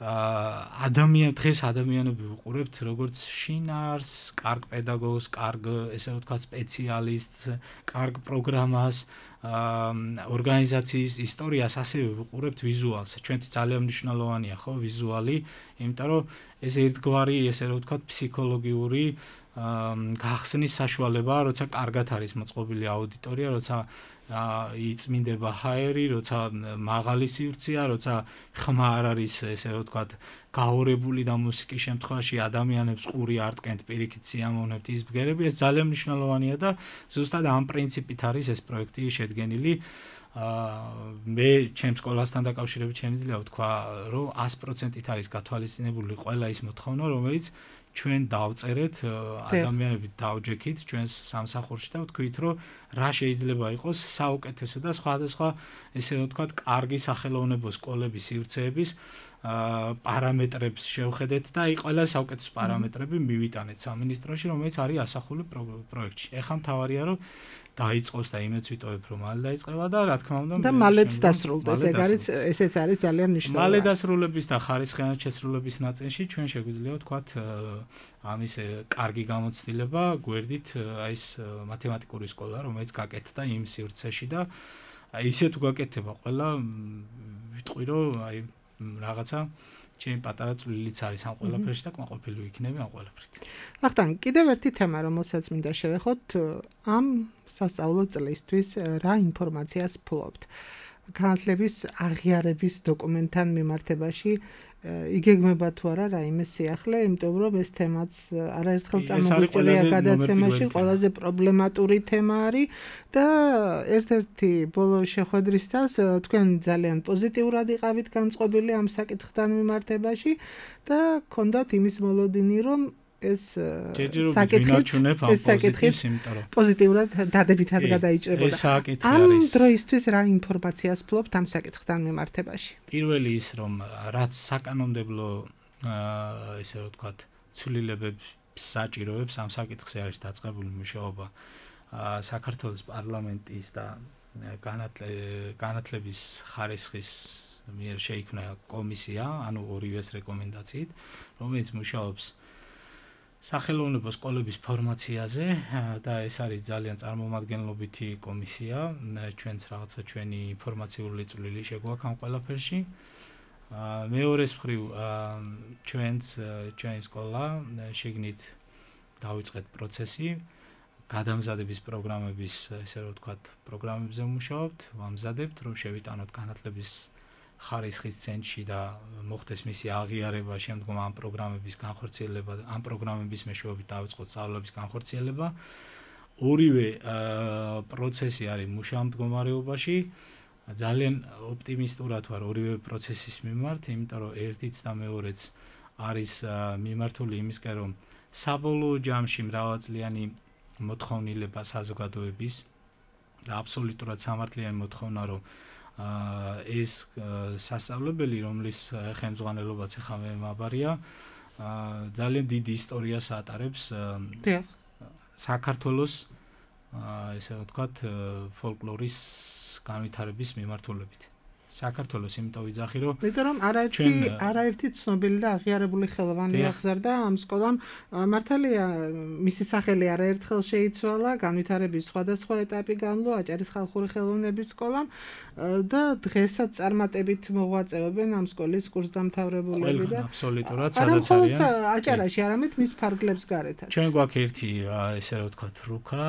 ადამიან დღეს ადამიანები ვუყურებთ როგორც შინაარს, კარგ პედაგოგს, კარგ ესე ვთქვათ სპეციალისტს, კარგ პროგრამას, ორგანიზაციის ისტორიას ასევე ვუყურებთ ვიზუალს. ჩვენთვის ძალიან მნიშვნელოვანია ხო ვიზუალი, იმიტომ რომ ეს ერთგვარი ესე ვთქვათ ფსიქოლოგიური გახსნის საშუალებაა, როცა კარგად არის მოწყობილი აუდიტორია, როცა იწმინდება ჰაერი, როცა მაღალი სივრცეა, როცა ხმა არ არის ესე ვთქვათ გაორებული და მუსიკის შემთხვევაში ადამიანებს ყური არ ტკენთ პირიქით სიამოვნებთ ის ბგერები, ეს ძალიან მნიშვნელოვანია და ზუსტად ამ პრინციპით არის ეს პროექტი შედგენილი. მე ჩემს სკოლასთან დაკავშირებით შემიძლია ვთქვა, რომ ას პროცენტით არის გათვალისწინებული ყველა ის მოთხოვნა, რომელიც ჩვენ დავწერეთ, ადამიანები დავჯექით ჩვენს სამსახურში და ვთქვით, რომ რა შეიძლება იყოს საუკეთესო და სხვადასხვა ესე ვთქვათ, კარგი სახელოვნებო სკოლების სივრცეების პარამეტრებს შევხედეთ და აი ყველა საუკეთესო პარამეტრები მივიტანეთ სამინისტროში, რომელიც არის ასახული პროექტში. ეხლა მთავარია, რომ დაიწყოს და იმედს ვიტოვებ, რომ მალე დაიწყება და რა თქმა უნდა და მალეც დასრულდეს, ეგ არის ესეც არის ძალიან მნიშვნელოვანი. მალე დასრულების და ხარისხიანად შესრულების ნაწილში ჩვენ შეგვიძლია ვთქვათ ამის კარგი გამოცდილება გვერდით აი ეს მათემატიკური სკოლა, რომელიც გაკეთდა იმ სივრცეში და აი ისე თუ გაკეთდება ყველა ვიტყვი რომ აი რაღაცა ჩემი პატარა წვლილიც არის ამ ყველაფერში და კმაყოფილი ვიქნები ამ ყველაფრით. ახლა კიდევ ერთი თემა, რომელსაც მინდა შევეხოთ, ამ სასწავლო წლისთვის რა ინფორმაციას ფლობთ? განათლების აღიარების დოკუმენტთან მიმართებაში იგეგმება თუ არა რაიმე სიახლე, იმიტომ რომ ეს თემაც არაერთხელ წამოგვიჭრია გადაცემაში, ყველაზე პრობლემატური თემა არის და ერთ-ერთი ბოლო შეხვედრისას თქვენ ძალიან პოზიტიურად იყავით განწყობილი ამ საკითხთან მიმართებაში და გქონდათ იმის მოლოდინი, რომ ეს საკითხიც პოზიტიურად დადებითად გადაიჭრებოდა. ამ დროისთვის რა ინფორმაციას ფლობთ ამ საკითხთან მიმართებაში? პირველი ის რომ რაც საკანონმდებლო ესე ვთქვათ ცვლილებებს საჭიროებს ამ საკითხზე არის დაწყებული მუშაობა საქართველოს პარლამენტის და განათლების ხარისხის მიერ შეიქმნა კომისია, ანუ ორივეს რეკომენდაციით, რომელიც მუშაობს სახელოვნებო სკოლების ფორმაციაზე და ეს არის ძალიან წარმომადგენლობითი კომისია, ჩვენც რაღაცა ჩვენი ინფორმაციული წვლილი შეგვაქვს ამ ყველაფერში. მეორეს მხრივ ჩვენც ჩვენი სკოლა შეგნით დავიწყეთ პროცესი გადამზადების პროგრამების, ესე რომ ვთქვათ, პროგრამებზე ვმუშაობთ, ვამზადებთ, რომ შევიტანოთ განათლების ხარისხის ცენტრში და მოხდეს მისი აღიარება, შემდგომ ამ პროგრამების განხორციელება, ამ პროგრამების მეშვეობით დავიწყოთ სწავლების განხორციელება. ორივე პროცესი არის მუშაობ მდგომარეობაში. ძალიან ოპტიმისტურად ვარ ორივე პროცესის მიმართ, იმიტომ რომ ერთიც და მეორეც არის მიმართული იმისკენ, რომ საბოლოო ჯამში მრავალწლიანი მოთხოვნილება საზოგადოების და აბსოლუტურად სამართლიანი მოთხოვნა, რომ ეს სასწავლებელი, რომლის ხელმძღვანელობაც ახლა მე მაბარია, ძალიან დიდი ისტორიას ატარებს საქართველოს ესე ვთქვათ ფოლკლორის განვითარების მიმართულებით. საქართველოს იმიტომ ვიძახი, რომ იმიტომ რომ არაერთი არაერთი ცნობილი და აღიარებული ხელოვანი აღზარდა ამ სკოლამ. მართალია, მისი სახელი არაერთხელ შეიცვალა, განვითარების სხვადასხვა ეტაპი განვლო აჭარის ხალხური ხელოვნების სკოლამ და დღესაც წარმატებით მოღვაწეობენ ამ სკოლის კურსდამთავრებულები და აბსოლუტურად სადაც არიან. აჭარაში, არამედ მის ფარგლებს გარეთაც. ჩვენ გვაქვს ერთი ესე ვთქვათ რუკა,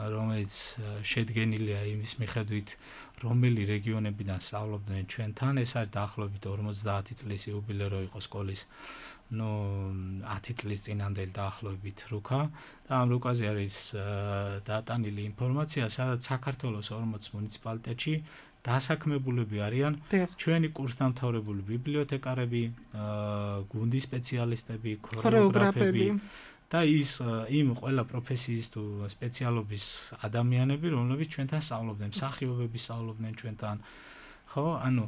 რომელიც შედგენილია იმის მიხედვით, რომელი რეგიონებიდან სწავლობდნენ ჩვენთან, ეს არის დაახლოებით ორმოცდაათი წლის იუბილერო იყო სკოლის, ნუ ათი წლის წინანდელი დაახლოებით რუკა და ამ რუკაზე არის დატანილი ინფორმაცია, სადაც საქართველოს ორმოც მუნიციპალიტეტში დასაქმებულები არიან ჩვენი კურსდამთავრებული ბიბლიოთეკარები, გუნდის სპეციალისტები, ქორეოგრაფები და ის იმ ყველა პროფესიის თუ სპეციალობის ადამიანები, რომლებიც ჩვენთან სწავლობდნენ, მსახიობები სწავლობდნენ ჩვენთან. ხო, ანუ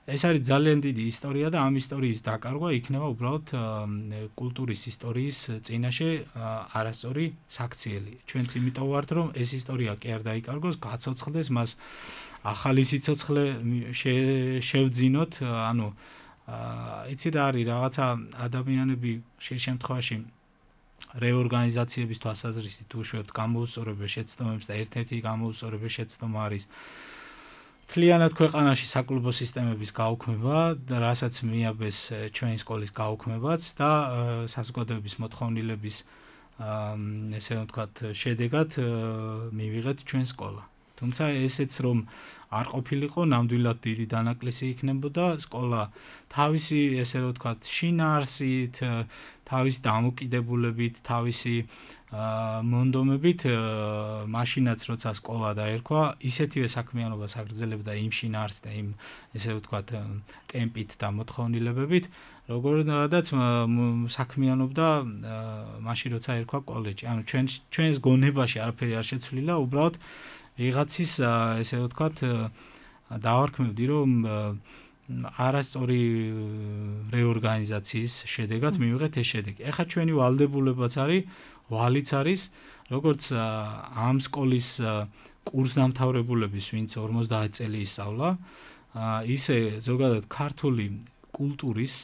ეს არის ძალიან დიდი ისტორია და ამ ისტორიის დაკარგვა იქნება უბრალოდ კულტურის ისტორიის წინაშე არასწორი საქციელი. ჩვენც იმიტომ ვართ, რომ ეს ისტორია კი არ დაიკარგოს, გაცოცხლდეს, მას ახალი სიცოცხლე შევძინოთ, ანუ აა იცი რა არის რაღაცა ადამიანები შე შემთხვევაში რეორგანიზაციების თვალსაზრისით უშვებთ გამოუსწორებელ შეცდომებს და ერთ-ერთი გამოუსწორებელ შეცდომა არის მთლიანად ქვეყანაში საკლუბო სისტემების გაუქმება, რასაც მიაბეს ჩვენი სკოლის გაუქმებაც და საზოგადოების მოთხოვნილების ესე ვთქვათ შედეგად მივიღეთ ჩვენ სკოლა. თუმცა ესეც რომ არ ყოფილიყო, ნამდვილად დიდი დანაკლისი იქნებოდა სკოლა თავისი ესე ვთქვათ შინაარსით, თავისი დამოკიდებულებით, თავისი მონდომებით მაშინაც როცა სკოლა დაერქვა, ისეთივე საქმიანობას აგრძელებდა იმ შინაარსით და იმ ესე ვთქვათ ტემპით და მოთხოვნილებებით, როგორაც საქმიანობდა მაშინ როცა ერქვა კოლეჯი. ანუ ჩვენ ჩვენს გონებაში არაფერი არ შეცვლილა, უბრალოდ ვიღაცის ესე ვთქვათ დავარქმევდი რომ არასწორი რეორგანიზაციის შედეგად მივიღეთ ეს შედეგი. ეხლა ჩვენი ვალდებულებაც არის, ვალიც არის, როგორც ამ სკოლის კურსდამთავრებულების, ვინც ორმოცდაათი წელი ისწავლა, ისე ზოგადად ქართული კულტურის,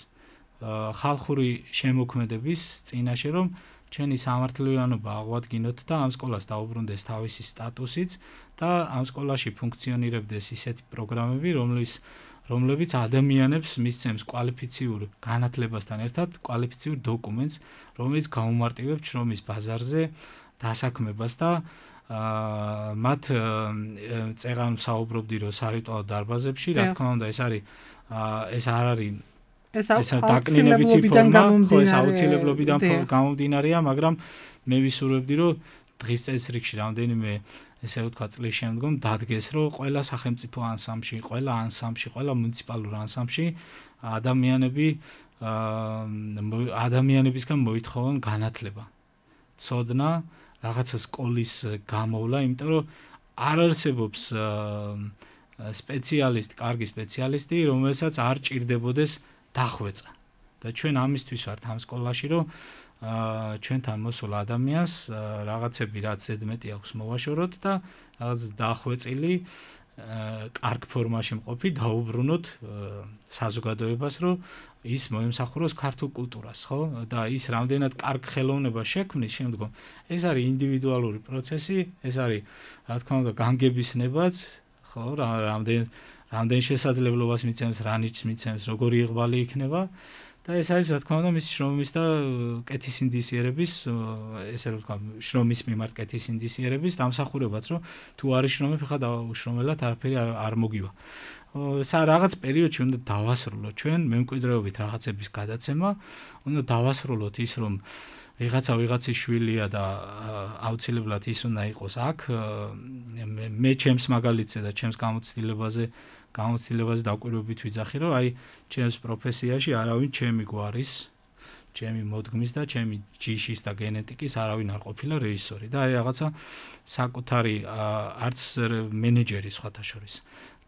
ხალხური შემოქმედების წინაშე რომ ჩვენი სამართლიანობა აღვადგინოთ და ამ სკოლას დაუბრუნდეს თავისი სტატუსიც და ამ სკოლაში ფუნქციონირებდეს ისეთი პროგრამები, რომლის რომლებიც ადამიანებს მისცემს კვალიფიციურ განათლებასთან ერთად კვალიფიციურ დოკუმენტს, რომელიც გაუმარტივებს შრომის ბაზარზე დასაქმებას და მათ წეღან საუბრობდი რომ სარიტუალო დარბაზებში, რა თქმა უნდა, ეს არის ეს არ არის ეს აუცილებლობიდან გამომდინარე. ეს აუცილებლობიდან გამომდინარეა, მაგრამ მე ვისურვებდი რომ დღის წესრიგში რამდენიმე ესე ვთქვათ წლის შემდგომ დადგეს რომ ყველა სახელმწიფო ანსამბლში, ყველა ანსამბლში, ყველა მუნიციპალურ ანსამბლში ადამიანები ადამიანებისგან მოითხოვონ განათლება. ცოდნა, რაღაცა სკოლის გამოვლა, იმიტომ რომ არ არსებობს სპეციალისტი, კარგი სპეციალისტი, რომელსაც არ ჭირდებოდეს დახვეწა. და ჩვენ ამისთვის ვართ ამ სკოლაში, რომ ჩვენთან მოსულ ადამიანს რაღაცები რაც ზედმეტი აქვს მოვაშოროთ და რაღაც დახვეწილი კარგ ფორმაში მყოფი დაუბრუნოთ საზოგადოებას, რომ ის მოემსახუროს ქართულ კულტურას, ხო? და ის რამდენად კარგ ხელოვნება შექმნის შემდგომ, ეს არის ინდივიდუალური პროცესი, ეს არის რა თქმა უნდა განგების ნებაც, ხო? რამდენ რამდენ შესაძლებლობას მიცემს, რა ნიჭს მიცემს, როგორი იღვალი იქნება და ეს არის რა თქმა უნდა მის შრომის და კეთის ინდისიერების, ესე რომ ვთქვა, შრომის მიმართ კეთის ინდისიერების დამსახურებაც, რომ თუ არის შრომები, ხა დაუშრომელად არაფერი არ მოგივა. სა რაღაც პერიოდში უნდა დავასრულოთ ჩვენ მემკვიდრეობით რაღაცების გადაცემა, უნდა დავასრულოთ ის, რომ ვიღაცა ვიღაცის შვილია და აუცილებლად ის უნდა იყოს აქ, მე ჩემს მაგალითზე და ჩემს გამოცდილებაზე გამოცდილებაზე დაკვირვებით ვიძახი, რომ აი ჩემს პროფესიაში არავინ ჩემი გვარის, ჩემი მოდგმის და ჩემი ჯიშის და გენეტიკის არავინ არ ყოფილა რეჟისორი და აი რაღაცა საკუთარი არც მენეჯერი სხვათა შორის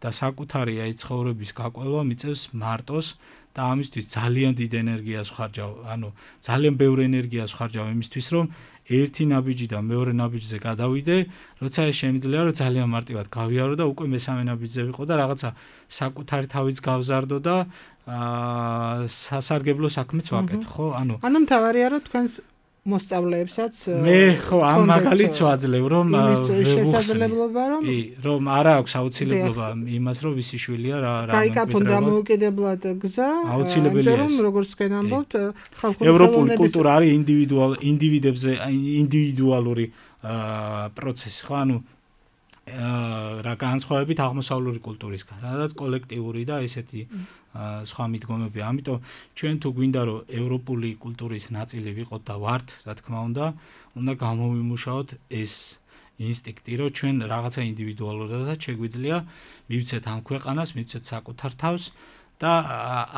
და საკუთარი აი ცხოვრების გაყოლვა მიწევს მარტოს და ამისთვის ძალიან დიდ ენერგიას ხარჯავ, ანუ ძალიან ბევრ ენერგიას ხარჯავ იმისთვის, რომ ერთი ნაბიჯი და მეორე ნაბიჯზე გადავიდე, როცა ეს შემიძლია, რომ ძალიან მარტივად გავიარო და უკვე მესამე ნაბიჯზე ვიყო და რაღაცა საკუთარი თავიც გავზარდო და აა სასარგებლო საქმეც ვაკეთო, ხო? ანუ ანუ მთავარია რომ თქვენს მოსწავლეებსაც მე ხო ამ მაგალითს ვაძლევ რომ შესაძლებლობა რომ კი რომ არა აქვს აუცილებლობა იმას რომ ვისი შვილია რა რა გაიკაფონ დამოუკიდებლად გზა აუცილებელია რომ როგორც თქვენ ამბობთ ხალხური ევროპული კულტურა არის ინდივიდუალ ინდივიდებზე ინდივიდუალური პროცესი ხო ანუ რა განსხვავებით აღმოსავლური კულტურისგან, სადაც კოლექტიური და ესეთი სხვა მიდგომები. ამიტომ ჩვენ თუ გვინდა რომ ევროპული კულტურის ნაწილი ვიყოთ და ვართ, რა თქმა უნდა, უნდა გამოვიმუშაოთ ეს ინსტინქტი, რომ ჩვენ რაღაცა ინდივიდუალურადაც შეგვიძლია მივცეთ ამ ქვეყანას, მივცეთ საკუთარ თავს და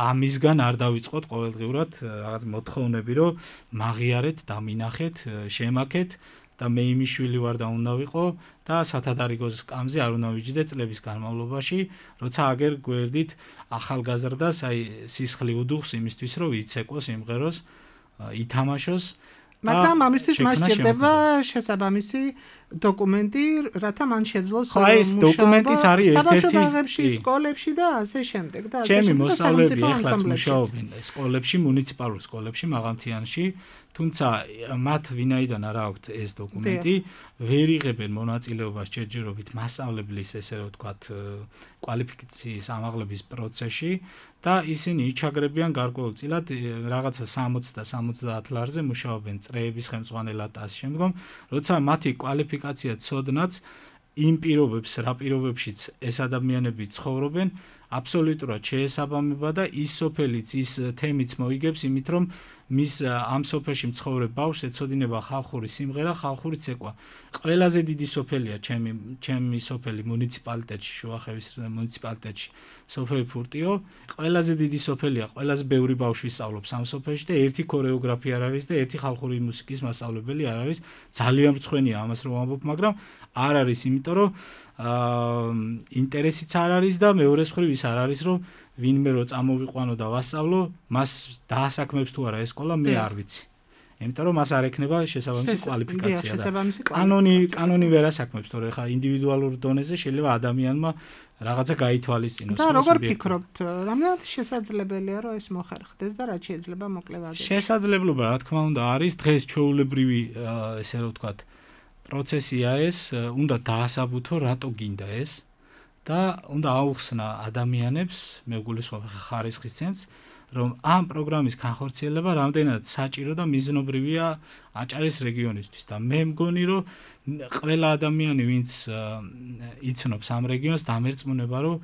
ამისგან არ დავიწყოთ ყოველდღიურად რაღაც მოთხოვნები, რომ მაღიარეთ, დამინახეთ, შემაქეთ და მე იმის შვილი ვარ და უნდა ვიყო და სათადარიგოს სკამზე არ უნდა ვიჯდე წლების განმავლობაში, როცა აგერ გვერდით ახალგაზრდას აი სისხლი უდუხს იმისთვის, რომ იცეკოს, იმღეროს, ითამაშოს. მაგრამ ამისთვის მას ჭირდება შესაბამისი დოკუმენტი, რათა მან შეძლოს ხო, ეს დოკუმენტიც არის ერთ-ერთი საბავშვოებში, სკოლებში და ასე შემდეგ და ასე ჩემი შემდეგ. მოსწავლეები ეხლაც მუშაობენ სკოლებში, მუნიციპალურ სკოლებში მაღალმთიანში, თუმცა მათ ვინაიდან არ აქვთ ეს დოკუმენტი, ვერ იღებენ მონაწილეობას ჯერჯერობით მასწავლებლის, ესე რომ ვთქვათ, კვალიფიკაციის ამაღლების პროცესში და ისინი იჩაგრებიან გარკვეულწილად რაღაცა სამოცი და სამოცდაათ ლარზე მუშაობენ წრეების ხელმძღვანელად და ამ შემდგომ, როცა მათი კვალიფიკაცია ცოდნაც იმ პირობებს, რა პირობებშიც ეს ადამიანები ცხოვრობენ, აბსოლუტურად შეესაბამება და ის სოფელიც, ის თემიც მოიგებს იმით, რომ მის ამ სოფელში მცხოვრებ ბავშვს ეცოდინება ხალხური სიმღერა, ხალხური ცეკვა. ყველაზე დიდი სოფელია ჩემი ჩემი სოფელი მუნიციპალიტეტში, შუახევის მუნიციპალიტეტში, სოფელი ფურტიო. ყველაზე დიდი სოფელია, ყველაზე ბევრი ბავშვი სწავლობს ამ სოფელში და ერთი ქორეოგრაფი არ არის და ერთი ხალხური მუსიკის მასწავლებელი არ არის. ძალიან მრცხვენია ამას რომ ვამბობ, მაგრამ არ არის, იმიტომ რომ აა ინტერესიც არ არის და მეორე მხრივ ის არ არის, რომ ვინმე რო წამოვიყვანო და ვასწავლო, მას დაასაქმებს თუ არა ეს სკოლა, მე არ ვიცი. იმიტომ რომ მას არ ექნება შესაბამისი კვალიფიკაცია და კანონი კანონი ვერ ასაქმებს, თორე ხა ინდივიდუალურ დონეზე შეიძლება ადამიანმა რაღაცა გაითვალისწინოს. და როგორ ფიქრობთ, რამდენად შესაძლებელია რომ ეს მოხერხდეს და რაც შეიძლება მოკლე ვადებში? შესაძლებლობა, რა თქმა უნდა, არის დღეს ჩვეულებრივი, ესე რომ ვთქვათ, პროცესია ეს, უნდა დაასაბუთო, რატო გინდა ეს და უნდა აუხსნა ადამიანებს, მე გულისხმობ ხარისხის ცენტრს, რომ ამ პროგრამის განხორციელება რამდენად საჭირო და მიზნობრივია აჭარის რეგიონისთვის და მე მგონი, რომ ყველა ადამიანი, ვინც იცნობს ამ რეგიონს, დამერწმუნება, რომ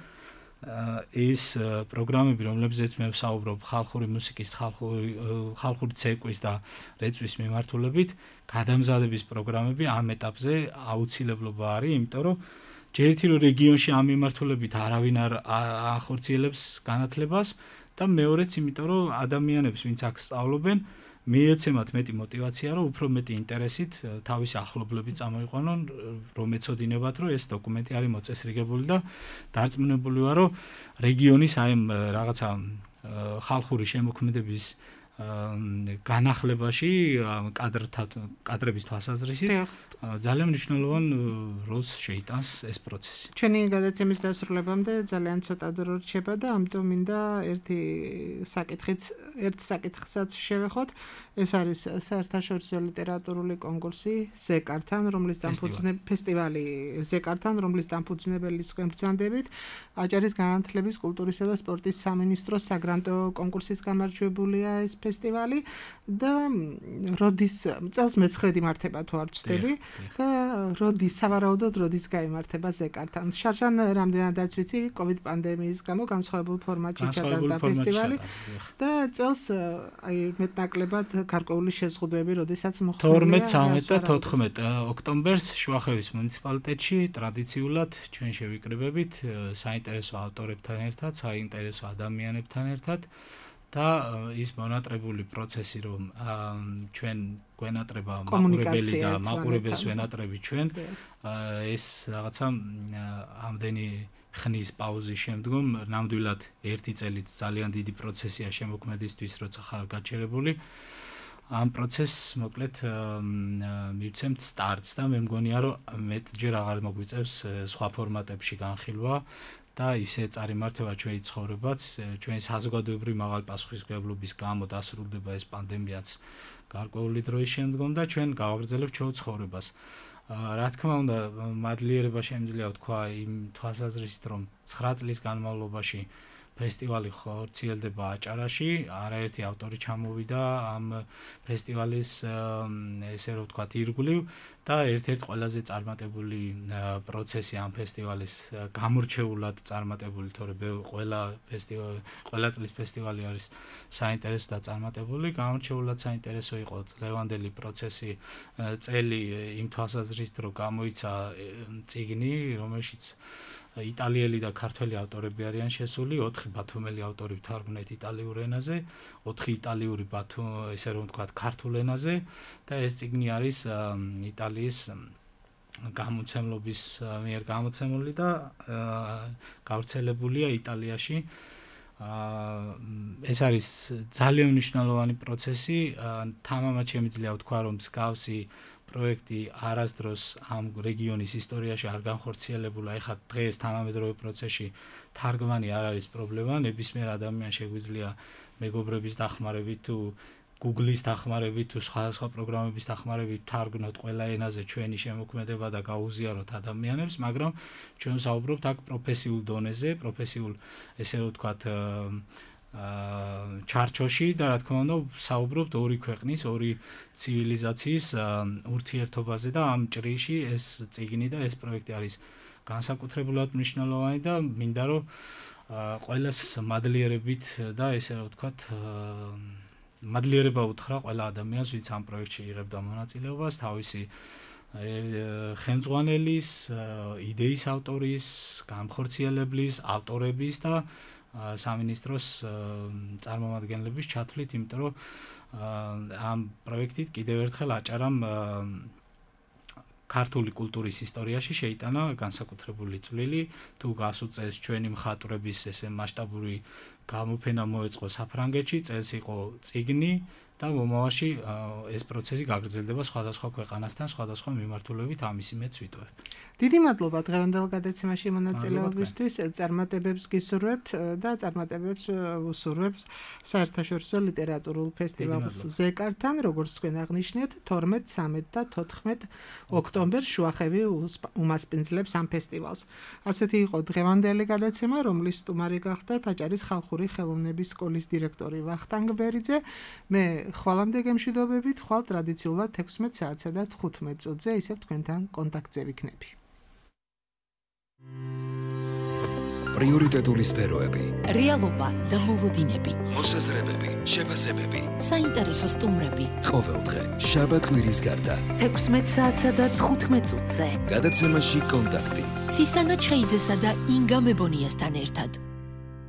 ეს პროგრამები, რომლებზეც მე ვსაუბრობ, ხალხური მუსიკის, ხალხური ხალხური ცეკვის და რეწვის მიმართულებით, გადამზადების პროგრამები ამ ეტაპზე აუცილებლობა არის, იმიტომ რომ ჯერ ერთი რომ რეგიონში ამ მიმართულებით არავინ არ ახორციელებს განათლებას და მეორეც, იმიტომ რომ ადამიანებს, ვინც აქ სწავლობენ, მიეცემათ მეტი мотиваცია, რომ უფრო მეტი ინტერესით თავისი ახლობლები წამოიყვანონ, რომ ეცოდინებათ, რომ ეს დოკუმენტი არის მოწესრიგებული და დარწმუნებული ვარ, რომ რეგიონის აი რაღაცა ხალხური შემოქმედების განახლებაში კადრთა კადრების თვალსაზრისით ძალიან მნიშვნელოვან როლს შეიტანს ეს პროცესი. ჩვენი გადაცემის დასრულებამდე ძალიან ცოტა დრო რჩება და ამიტომ მინდა ერთი საკითხიც, ერთ საკითხსაც შევეხოთ. ეს არის საერთაშორისო ლიტერატურული კონკურსი ზეკართან, რომლის დამფუძნებელი ფესტივალი ზეკართან, რომლის დამფუძნებელი თქვენ ბრძანდებით, აჭარის განათლების, კულტურისა და სპორტის სამინისტროს საგრანტო კონკურსის გამარჯვებულია ეს ფესტივალი და როდის წელს მეცხრედ იმართება თუ არ ვცდები და როდის სავარაუდოდ როდის გაიმართება ზეკართან. შარშან რამდენადაც ვიცი, COVID პანდემიის გამო განსხვავებულ ფორმატში ჩატარდა ფესტივალი და წელს აი მეტნაკლებად გარკვეული შეზღუდვები, როდესაც მოხსნილია თორმეტ, ცხრამეტ და თოთხმეტ ოქტომბერს შუახევის მუნიციპალიტეტში ტრადიციულად ჩვენ შევიკრიბებით საინტერესო ავტორებთან ერთად, საინტერესო ადამიანებთან ერთად და ის მონატრებული პროცესი, რომ ჩვენ გვენატრება მაყურებელი და მაყურებელს ვენატრები ჩვენ, ეს რაღაცა ამდენი ხნის პაუზის შემდგომ ნამდვილად ერთი წელიც ძალიან დიდი პროცესია შემოქმედისთვის, როცა ხარ გაჩერებული. ამ პროცესს მოკლედ მივცემთ სტარტს და მე მგონია, რომ მეტჯერ აღარ მოგვიწევს სხვა ფორმატებში განხილვა და ისე წარიმართება ჩვენი ცხოვრებაც, ჩვენი საზოგადოებრივი მაღალი პასუხისმგებლობის გამო დასრულდება ეს პანდემიაც გარკვეული დროის შემდგომ და ჩვენ გავაგრძელებთ ჩვენ ცხოვრებას. რა თქმა უნდა, მადლიერება შემიძლია ვთქვა იმ თვალსაზრისით, რომ ცხრა წლის განმავლობაში ფესტივალი ხორციელდება აჭარაში, არაერთი ავტორი ჩამოვიდა ამ ფესტივალის ესე რომ ვთქვათ ირგვლივ და ერთ-ერთი ყველაზე წარმატებული პროცესი ამ ფესტივალის გამორჩეულად წარმატებული, თორე ყველა ფესტივალი, ყველა წლის ფესტივალი არის საინტერესო და წარმატებული, გამორჩეულად საინტერესო იყო წლევანდელი პროცესი წელი იმ თვალსაზრისით, რომ გამოიცა წიგნი, რომელშიც იტალიელი და ქართველი ავტორები არიან შესული, ოთხი ბათუმელი ავტორი თარგმნით იტალიურ ენაზე, ოთხი იტალიური ბათუ, ესე რომ ვთქვათ, ქართულ ენაზე და ეს წიგნი არის იტალიის გამოცემლობის მიერ გამოცემული და გავრცელებულია იტალიაში. ეს არის ძალიან მნიშვნელოვანი პროცესი, თამამად შემიძლია ვთქვა, რომ მსგავსი პროექტი არასდროს ამ რეგიონის ისტორიაში არ განხორციელებულა. ეხლა დღეს თანამედროვე პროცესში თარგმანი არ არის პრობლემა. ნებისმიერ ადამიანს შეგვიძლია მეგობრების დახმარებით თუ Google-ის დახმარებით თუ სხვადასხვა პროგრამების დახმარებით თარგმნოთ ყველა ენაზე ჩვენი შემოქმედება და გაუზიაროთ ადამიანებს, მაგრამ ჩვენ საუბრობთ აქ პროფესიულ დონეზე, პროფესიულ ესე ვთქვათ ჩარჩოში და რა თქმა უნდა საუბრობთ ორი ქვეყნის, ორი ცივილიზაციის ურთიერთობაზე და ამ ჭრიში ეს წიგნი და ეს პროექტი არის განსაკუთრებულად მნიშვნელოვანი და მინდა რომ ყველას მადლიერებით და ესე ვთქვათ მადლიერება უთხრა ყველა ადამიანს, ვინც ამ პროექტში იღებდა მონაწილეობას, თავისი ხელმძღვანელის, იდეის ავტორის, განხორციელებლის, ავტორების და სამინისტროს წარმომადგენლების ჩათვლით, იმიტომ რომ ამ პროექტით კიდევ ერთხელ აჭარამ ქართული კულტურის ისტორიაში შეიტანა განსაკუთრებული წვლილი, თუ გასუწეს ჩვენი მხატვრების ესე მასშტაბური გამოფენა მოეწყო საფრანგეთში, წელს იყო წიგნი და მომავალში ეს პროცესი გაგრძელდება სხვადასხვა ქვეყანასთან, სხვადასხვა მიმართულებით, ამისი მეც ვიტყვევ. დიდი მადლობა დღევანდელ გადაცემაში მონაწილეობისთვის, წარმატებებს გისურვებთ და წარმატებებს უსურვებთ საერთაშორისო ლიტერატურულ ფესტივალს ზეკართან, როგორც თქვენ აღნიშნეთ, თორმეტ, ცამეტ და თოთხმეტ ოქტომბერს შუახევი უმასპინძლებს ამ ფესტივალს. ასეთი იყო დღევანდელი გადაცემა, რომლის სტუმარი გახდათ აჭარის ხალხური ხელოვნების სკოლის დირექტორი ვახტანგ ბერიძე. მე ხვალამდე გემშვიდობებით, ხვალ ტრადიციულად ექვსმეტ საათსა და თხუთმეტ წუთზე ისევ თქვენთან კონტაქტზე ვიქნები. პრიორიტეტული სფეროები, რეალობა და მოლოდინები, მოსაზრებები, შეფასებები, საინტერესო სტუმრები. ყოველდღე შაბათ კვირის გარდა ექვსმეტ საათსა და თხუთმეტ წუთზე გადაცემაში კონტაქტი ცისანა ჩხეიძესა და ინგა მებონიასთან ერთად.